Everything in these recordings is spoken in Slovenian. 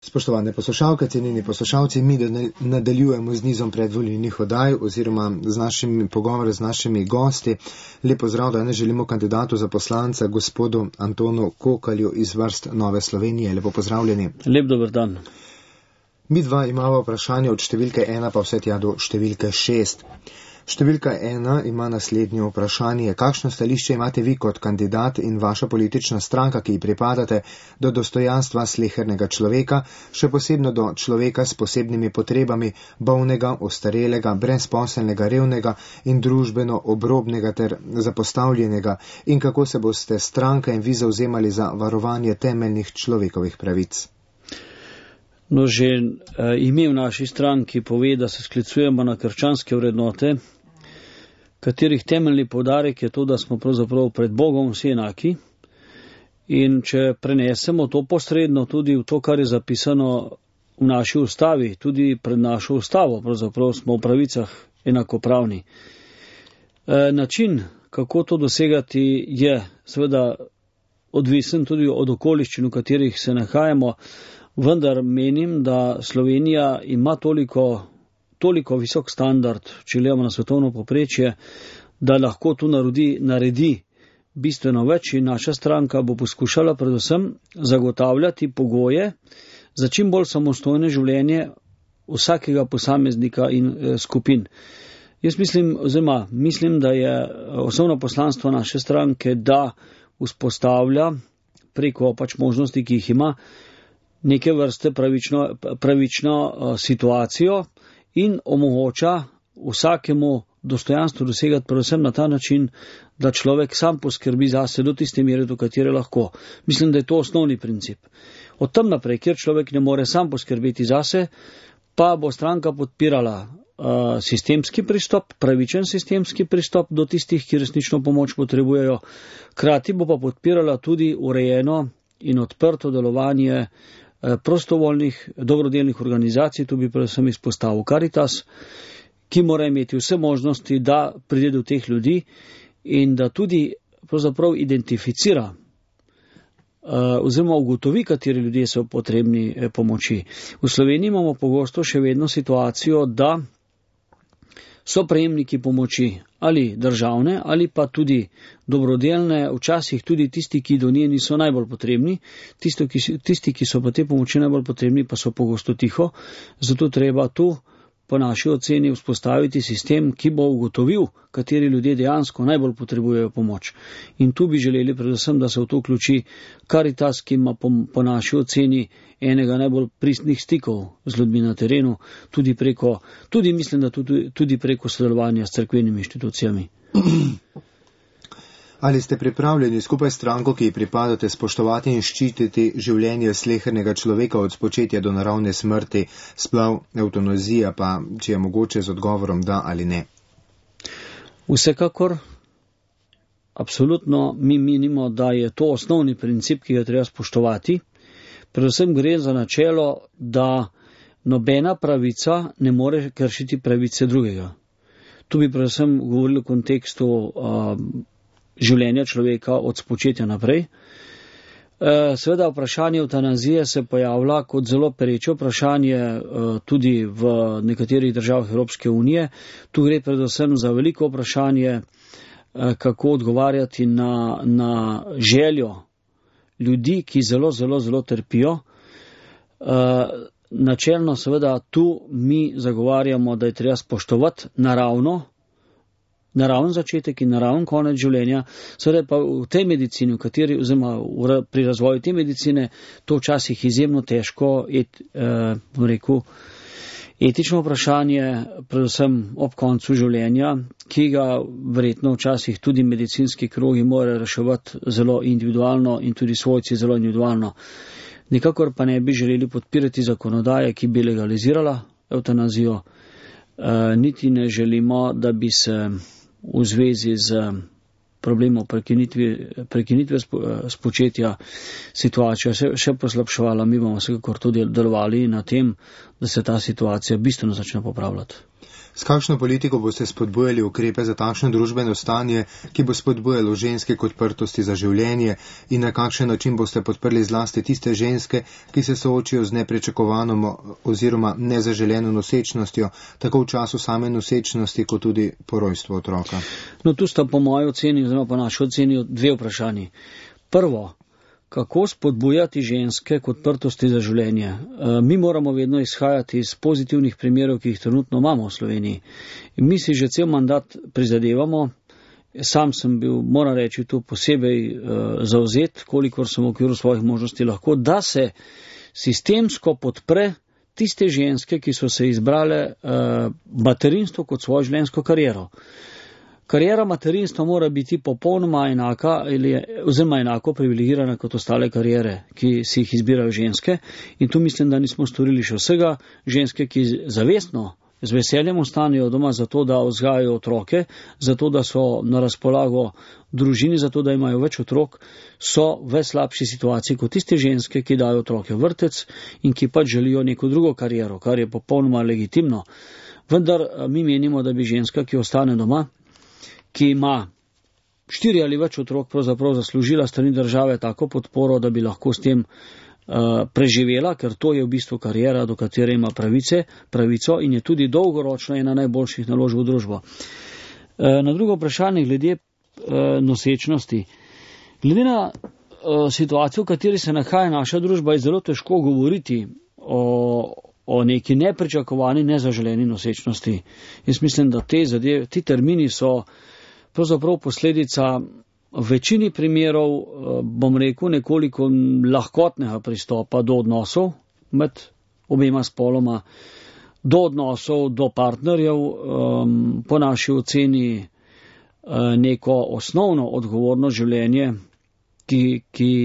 Spoštovane poslušalke, cenjeni poslušalci, mi nadaljujemo z nizom predvolilnih oddaj oziroma z našimi pogovori z našimi gosti. Lep pozdrav, danes želimo kandidatu za poslanca, gospodu Antonu Kokalju iz vrst Nove Slovenije. Lepo pozdravljeni. Lep dober dan. Mi dva imamo vprašanje od številke 1 pa vse tja do številke 6. Številka 1 ima naslednje vprašanje. Kakšno stališče imate vi kot kandidat in vaša politična stranka, ki ji pripadate, do dostojanstva slehernega človeka, še posebno do človeka s posebnimi potrebami, bolnega, ostarelega, brezposelnega, revnega in družbeno obrobnega ter zapostavljenega, in kako se boste stranka in vi zavzemali za varovanje temeljnih človekovih pravic? No, že ime v naši stranki pove, da se sklicujemo na krščanske vrednote, katerih temeljni poudarek je to, da smo pravzaprav pred Bogom vsi enaki, in če prenesemo to posredno tudi v to, kar je zapisano v naši ustavi, tudi pred našo ustavo, pravzaprav smo v pravicah enakopravni. Način, kako to dosegati, je seveda odvisen tudi od okoliščin, v katerih se nahajamo, vendar menim, da Slovenija ima toliko visok standard, če gledamo na svetovno povprečje, da lahko tu naredi bistveno več, in naša stranka bo poskušala predvsem zagotavljati pogoje za čim bolj samostojno življenje vsakega posameznika in skupin. Jaz mislim, da je osnovno poslanstvo naše stranke, da vzpostavlja preko možnosti, ki jih ima, neke vrste pravično situacijo in omogoča vsakemu dostojanstvo dosegati predvsem na ta način, da človek sam poskrbi zase do tiste mere, do katere lahko. Mislim, da je to osnovni princip. Od tam naprej, kjer človek ne more sam poskrbeti zase, pa bo stranka podpirala sistemski pristop, pravičen sistemski pristop do tistih, ki resnično pomoč potrebujejo. Hkrati bo pa podpirala tudi urejeno in odprto delovanje prostovoljnih, dobrodelnih organizacij, tu bi predvsem izpostavil Karitas, ki mora imeti vse možnosti, da pride do teh ljudi in da tudi pravzaprav identificira oziroma ugotovi, kateri ljudje so potrebni pomoči. V Sloveniji imamo pogosto še vedno situacijo, da so prejemniki pomoči ali državne ali pa tudi dobrodelne, včasih tudi tisti, ki do nje niso najbolj potrebni, tisti, ki so pa te pomoči najbolj potrebni, pa so pogosto tiho, zato treba tu po naši oceni vzpostaviti sistem, ki bo ugotovil, kateri ljudje dejansko najbolj potrebujejo pomoč. In tu bi želeli predvsem, da se v to vključi Karitas, ki ima po naši oceni enega najbolj pristnih stikov z ljudmi na terenu, tudi preko sodelovanja s cerkvenimi inštitucijami. Ali ste pripravljeni skupaj s stranko, ki ji pripadate, spoštovati in ščititi življenje slehernega človeka od spočetja do naravne smrti, splav, evtanazija, pa če je mogoče z odgovorom da ali ne? Vsekakor, absolutno mi menimo, da je to osnovni princip, ki ga treba spoštovati. Predvsem gre za načelo, da nobena pravica ne more kršiti pravice drugega. Tu bi predvsem govorili v kontekstu življenja človeka od spočetja naprej. Seveda vprašanje evtanazije se pojavlja kot zelo pereče vprašanje tudi v nekaterih državah Evropske unije. Tu gre predvsem za veliko vprašanje, kako odgovarjati na željo ljudi, ki zelo trpijo. Načelno seveda tu mi zagovarjamo, da je treba spoštovati naraven začetek in naraven konec življenja, seveda pa v tej medicini, oziroma pri razvoju te medicine, to včasih izjemno težko, etično vprašanje, predvsem ob koncu življenja, ki ga verjetno včasih tudi medicinski krogi morajo reševati zelo individualno in tudi svojci zelo individualno. Nikakor pa ne bi želeli podpirati zakonodaje, ki bi legalizirala evtanazijo, niti ne želimo, da bi se v zvezi z problemov prekinitve spočetja situacija še poslabševala. Mi bomo vsekakor tudi delovali na tem, da se ta situacija bistveno začne popravljati. S kakšno politiko boste spodbujali ukrepe za takšno družbeno stanje, ki bo spodbujalo ženske k odprtosti za življenje, in na kakšen način boste podprli zlasti tiste ženske, ki se soočijo z nepričakovano oziroma nezaželeno nosečnostjo, tako v času same nosečnosti, kot tudi po rojstvu otroka? No, tu sta po moji oceni, oziroma po naši oceni, dve vprašanji. Prvo, kako spodbujati ženske k odprtosti za življenje. Mi moramo vedno izhajati iz pozitivnih primerov, ki jih trenutno imamo v Sloveniji. In mi si že cel mandat prizadevamo. Sam sem bil, moram reči, tu posebej zavzet, kolikor sem v okviru svojih možnosti lahko, da se sistemsko podpre tiste ženske, ki so se izbrale materinstvo kot svojo življenjsko kariero. Kariera materinstva mora biti popolnoma enaka oziroma enako privilegirana kot ostale kariere, ki si jih izbirajo ženske. In tu mislim, da nismo storili še vsega. Ženske, ki zavestno, z veseljem ostanejo doma zato, da vzgajajo otroke, zato, da so na razpolago družini, zato, da imajo več otrok, so v slabši situaciji kot tiste ženske, ki dajo otroke v vrtec in ki pač želijo neko drugo kariero, kar je popolnoma legitimno. Vendar mi menimo, da bi ženska, ki ostane doma, ki ima 4 ali več otrok, pravzaprav zaslužila strani države tako podporo, da bi lahko s tem preživela, ker to je v bistvu karijera, do katere ima pravico in je tudi dolgoročno ena najboljših naložb v družbo. Na drugo vprašanje glede nosečnosti. Glede na situacijo, v kateri se nahaja naša družba, je zelo težko govoriti o neki nepričakovani, nezaželeni nosečnosti. Jaz mislim, da ti termini so pravzaprav posledica v večini primerov, bom rekel, nekoliko lahkotnega pristopa do odnosov med obema spoloma, do odnosov, do partnerjev, po naši oceni neko osnovno odgovorno življenje, ki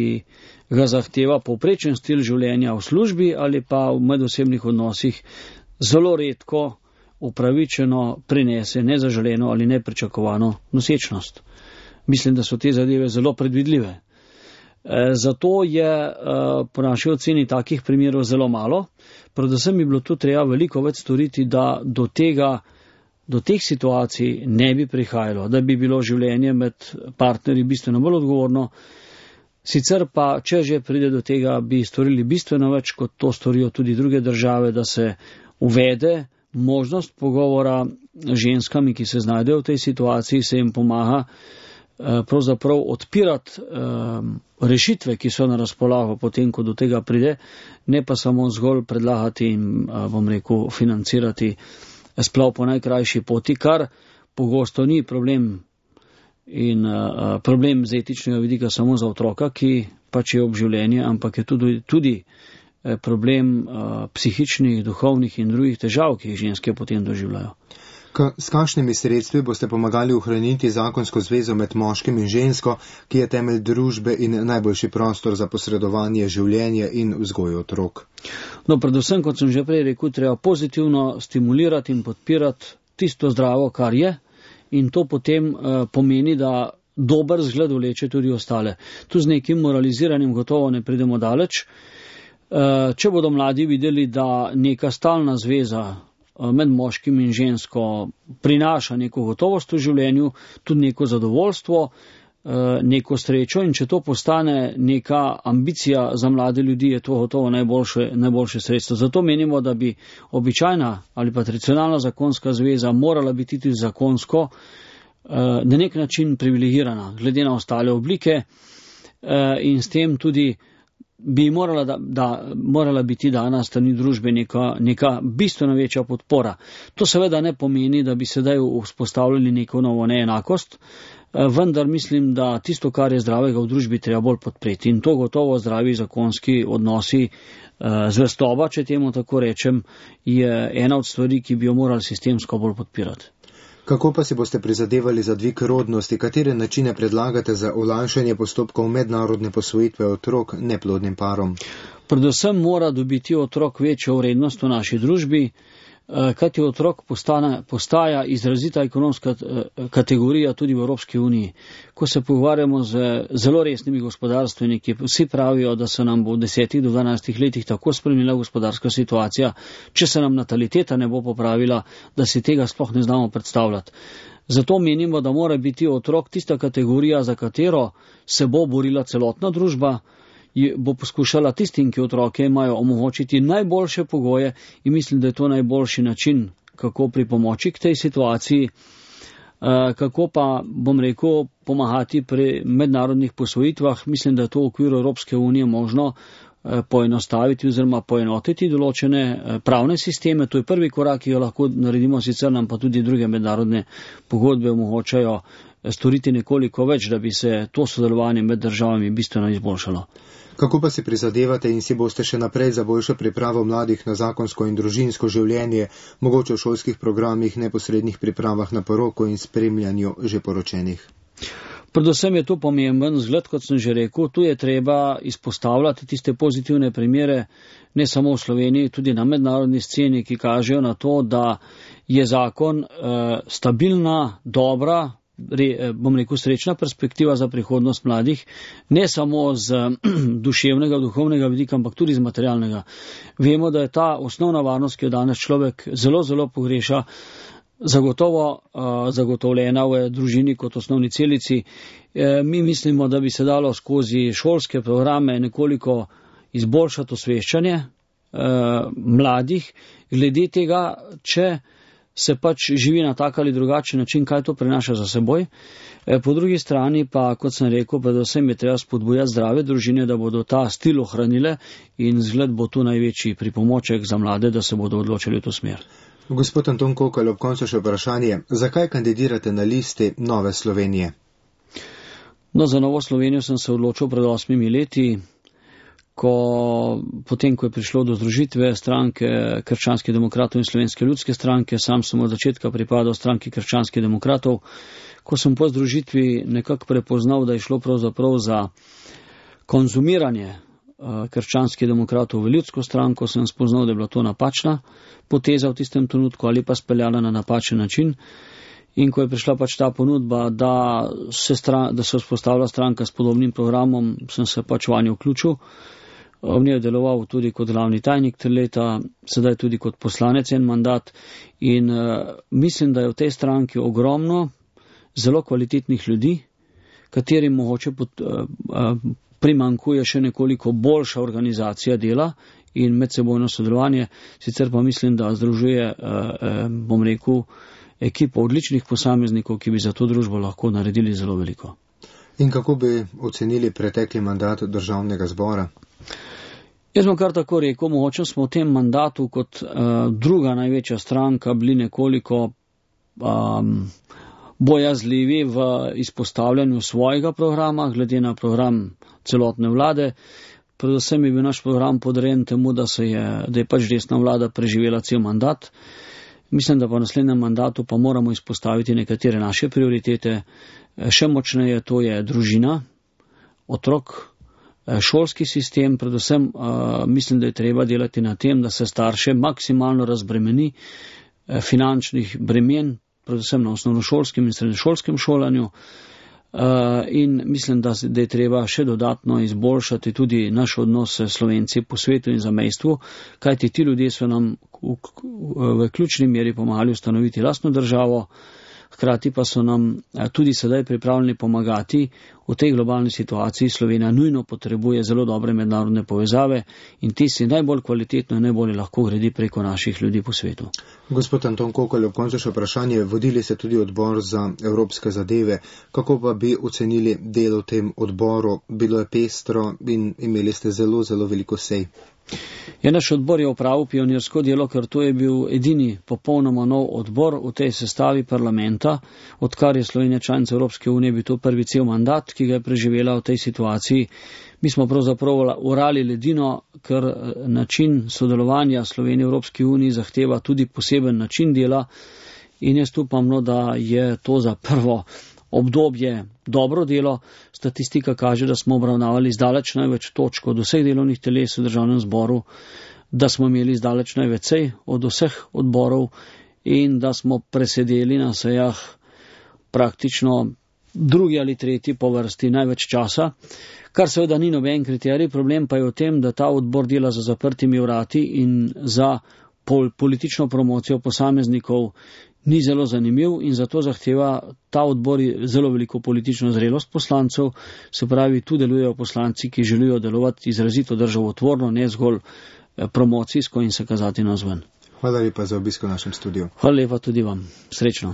ga zahteva povprečen stil življenja v službi ali pa v medosebnih odnosih, zelo redko upravičeno prinese nezaželeno ali nepričakovano nosečnost. Mislim, da so te zadeve zelo predvidljive. Zato je po naši oceni takih primerov zelo malo. Predvsem bi bilo tu treba veliko več storiti, da do teh situacij ne bi prihajalo, da bi bilo življenje med partnerji bistveno bolj odgovorno. Sicer pa, če že pride do tega, bi storili bistveno več, kot to storijo tudi druge države, da se uvede možnost pogovora ženskami, ki se znajdejo v tej situaciji, se jim pomaga pravzaprav odpirati rešitve, ki so na razpolago potem, ko do tega pride, ne pa samo zgolj predlagati in, bom rekel, financirati splav po najkrajši poti, kar pogosto ni problem in problem z etičnega vidika samo za otroka, ki pač je ob življenje, ampak je tudi problem psihičnih, duhovnih in drugih težav, ki jih ženske potem doživljajo. S kakšnimi sredstvi boste pomagali ohraniti zakonsko zvezo med moškim in žensko, ki je temelj družbe in najboljši prostor za posredovanje življenja in vzgojo otrok? No, predvsem, kot sem že prej rekel, treba pozitivno stimulirati in podpirati tisto zdravo, kar je, in to potem pomeni, da dober zgled vleče tudi ostale. Tu z nekim moraliziranjem gotovo ne pridemo daleč. Če bodo mladi videli, da neka stalna zveza med moškim in žensko prinaša neko gotovost v življenju, tudi neko zadovoljstvo, neko srečo, in če to postane neka ambicija za mlade ljudi, je to gotovo najboljše sredstvo. Zato menimo, da bi običajna ali pa tradicionalna zakonska zveza morala biti tudi zakonsko na nek način privilegirana glede na ostale oblike in s tem tudi bi morala biti dana strani družbe neka bistveno večja podpora. To seveda ne pomeni, da bi sedaj vzpostavljali neko novo neenakost, vendar mislim, da tisto, kar je zdravega v družbi, treba bolj podpreti. In to gotovo zdravi zakonski odnosi, zvestoba, če temu tako rečem, je ena od stvari, ki bi jo morali sistemsko bolj podpirati. Kako pa si boste prizadevali za dvig rodnosti? Katere načine predlagate za olajšanje postopkov mednarodne posvojitve otrok neplodnim parom? Predvsem mora dobiti otrok večjo vrednost v naši družbi. kajti otrok postaja izrazita ekonomska kategorija tudi v Evropski uniji. Ko se pogovarjamo z zelo resnimi gospodarstveniki, vsi pravijo, da se nam bo v 10 do 12 letih tako spremenila gospodarska situacija, če se nam nataliteta ne bo popravila, da si tega sploh ne znamo predstavljati. Zato menimo, da mora biti otrok tista kategorija, za katero se bo borila celotna družba, bo poskušala tistim, ki otroke imajo, omogočiti najboljše pogoje in mislim, da je to najboljši način, kako pripomoči k tej situaciji, kako pa, bom rekel, pomagati pri mednarodnih posvojitvah. Mislim, da je to v okviru Evropske unije možno poenostaviti oziroma poenotiti določene pravne sisteme. To je prvi korak, ki jo lahko naredimo, sicer nam pa tudi druge mednarodne pogodbe omogočajo storiti nekoliko več, da bi se to sodelovanje med državami bistveno izboljšalo. Kako pa si prizadevate in si boste še naprej za boljšo pripravo mladih na zakonsko in družinsko življenje, mogoče v šolskih programih, neposrednih pripravah na poroko in spremljanju že poročenih? Predvsem je to pomemben zgled, kot sem že rekel, tu je treba izpostavljati tiste pozitivne primere, ne samo v Sloveniji, tudi na mednarodni sceni, ki kažejo na to, da je zakon stabilna, dobra, bom rekel, srečna perspektiva za prihodnost mladih, ne samo z duševnega, duhovnega vidika, ampak tudi z materialnega. Vemo, da je ta osnovna varnost, ki jo danes človek zelo, zelo pogreša, zagotovljena v družini kot osnovni celici. Mi mislimo, da bi se dalo skozi šolske programe nekoliko izboljšati osveščanje mladih, glede tega, če se pač živi na tak ali drugačen način, kaj to prenaša za seboj. Po drugi strani pa, kot sem rekel, predvsem je treba spodbujati zdrave družine, da bodo ta stil ohranile in zgled bo tu največji pripomoček za mlade, da se bodo odločili v to smer. Gospod Anton Kokelj, ob koncu še vprašanje. Zakaj kandidirate na listi Nove Slovenije? No, za Novo Slovenijo sem se odločil pred 8 leti, potem, ko je prišlo do združitve stranke Krščanskih demokratov in Slovenske ljudske stranke. Sam sem od začetka pripadal stranki Krščanskih demokratov. Ko sem po združitvi nekako prepoznal, da je šlo pravzaprav za konzumiranje Krščanskih demokratov v ljudsko stranko, sem spoznal, da je bila to napačna poteza v tistem trenutku ali pa speljala na napačen način. In ko je prišla pač ta ponudba, da se vzpostavlja stranka s podobnim programom, sem se pač vanjo vključil. V njej je deloval tudi kot glavni tajnik 3 leta, sedaj tudi kot poslanec en mandat in mislim, da je v tej stranki ogromno zelo kvalitetnih ljudi, katerim mogoče primankuje še nekoliko boljša organizacija dela in medsebojno sodelovanje, sicer pa mislim, da združuje, bom rekel, ekipo odličnih posameznikov, ki bi za to družbo lahko naredili zelo veliko. In kako bi ocenili pretekli mandat državnega zbora? Jaz bom kar tako rekel, mogoče smo v tem mandatu kot druga največja stranka bili nekoliko bojazljivi v izpostavljanju svojega programa, glede na program celotne vlade. Predvsem je bil naš program podrejen temu, da je pač desna vlada preživela cel mandat. Mislim, da po naslednjem mandatu pa moramo izpostaviti nekatere naše prioritete. Še močneje to je družina, otrok, šolski sistem, predvsem mislim, da je treba delati na tem, da se starše maksimalno razbremeni finančnih bremen, predvsem na osnovnošolskem in srednješolskem šolanju. In mislim, da je treba še dodatno izboljšati tudi naš odnos s Slovenci po svetu in zamejstvu, kajti ti ljudje so nam v ključni meri pomagali ustanoviti lastno državo, hkrati pa so nam tudi sedaj pripravljeni pomagati v tej globalni situaciji. Slovenija nujno potrebuje zelo dobre mednarodne povezave in ti si najbolj kvalitetno in najbolj lahko gradi preko naših ljudi po svetu. Gospod Anton Kokelj, ob koncu še vprašanje. Vodili ste tudi odbor za evropske zadeve. Kako pa bi ocenili delo v tem odboru? Bilo je pestro in imeli ste zelo, zelo veliko sej. Naš odbor je opravil pionirsko delo, ker to je bil edini popolnoma nov odbor v tej sestavi parlamenta. Odkar je Slovenija članica Evropske unije, bi to prvi cel mandat, ki ga je preživela v tej situaciji. Mi smo pravzaprav orali ledino, ker način sodelovanja Slovenije v Evropski uniji zahteva tudi poseben način dela in jaz upam, da je to za prvo obdobje dobro delo. Statistika kaže, da smo obravnavali zdaleč največ točk od vseh delovnih teles v državnem zboru. da smo imeli zdaleč največ od vseh odborov in da smo presedeli na sejah praktično drugi ali tretji po vrsti največ časa, kar seveda ni noben kriterij. Problem pa je v tem, da ta odbor dela za zaprtimi vrati in za politično promocijo posameznikov ni zelo zanimiv in zato zahteva ta odbor zelo veliko politično zrelost poslancev, se pravi, tu delujejo poslanci, ki želijo delovati izrazito državotvorno, ne zgolj promocijsko in se kazati navzven. Hvala lepa za obisk v našem studiu. Hvala lepa tudi vam. Srečno.